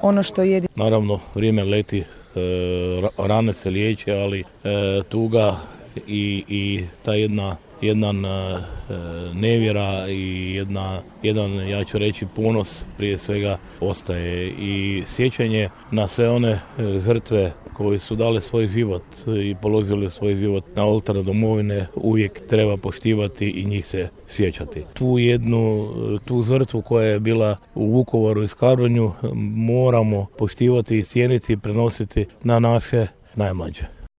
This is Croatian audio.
ono što je. Naravno, vrijeme leti, rane se liječe, ali tuga i ta jedna nevjera i jedan, ja ću reći, ponos prije svega ostaje i sjećanje na sve one žrtve koji su dali svoj život i položili svoj život na oltar domovine uvijek treba poštivati i njih se sjećati. Tu žrtvu koja je bila u Vukovaru i Škabrnju moramo poštivati i cijeniti i prenositi na naše najmlađe.